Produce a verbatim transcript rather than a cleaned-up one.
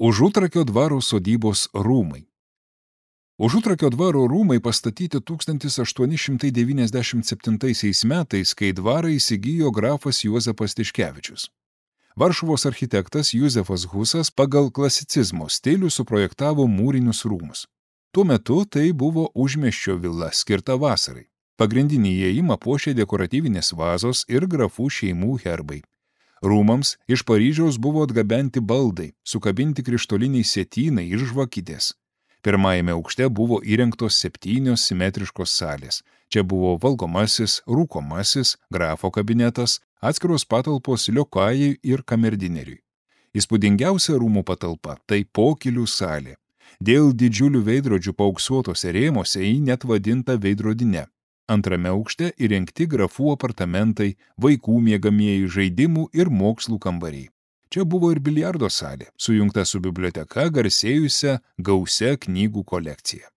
Užutrakio dvaro sodybos rūmai. Užutrakio dvaro rūmai pastatyti tūkstantis aštuoni šimtai devyniasdešimt septintaisiais metais, kai dvarą įsigijo grafas Juozapas Tiškevičius. Varšuvos architektas Juzefas Husas pagal klasicizmo stilių suprojektavo mūrinius rūmus. Tuo metu tai buvo užmiesčio vila skirta vasarai. Pagrindinį įėjimą puošė dekoratyvinės vazos ir grafų šeimų herbai. Rūmams iš Paryžiaus buvo atgabenti baldai, sukabinti krištoliniai sietynai ir žvakidės. Pirmajame aukšte buvo įrengtos septynios simetriškos salės. Čia buvo valgomasis, rūkomasis, grafo kabinetas, atskiros patalpos liokajai ir kamerdineriui. Įspūdingiausia rūmų patalpa – tai pokylių salė. Dėl didžiulių veidrodžių paauksuotose rėmose ji net vadinta veidrodine. Antrame aukšte įrengti grafų apartamentai, vaikų miegamieji, žaidimų ir mokslų kambariai. Čia buvo ir biliardo salė, sujungta su biblioteka garsėjusia gausia knygų kolekcija.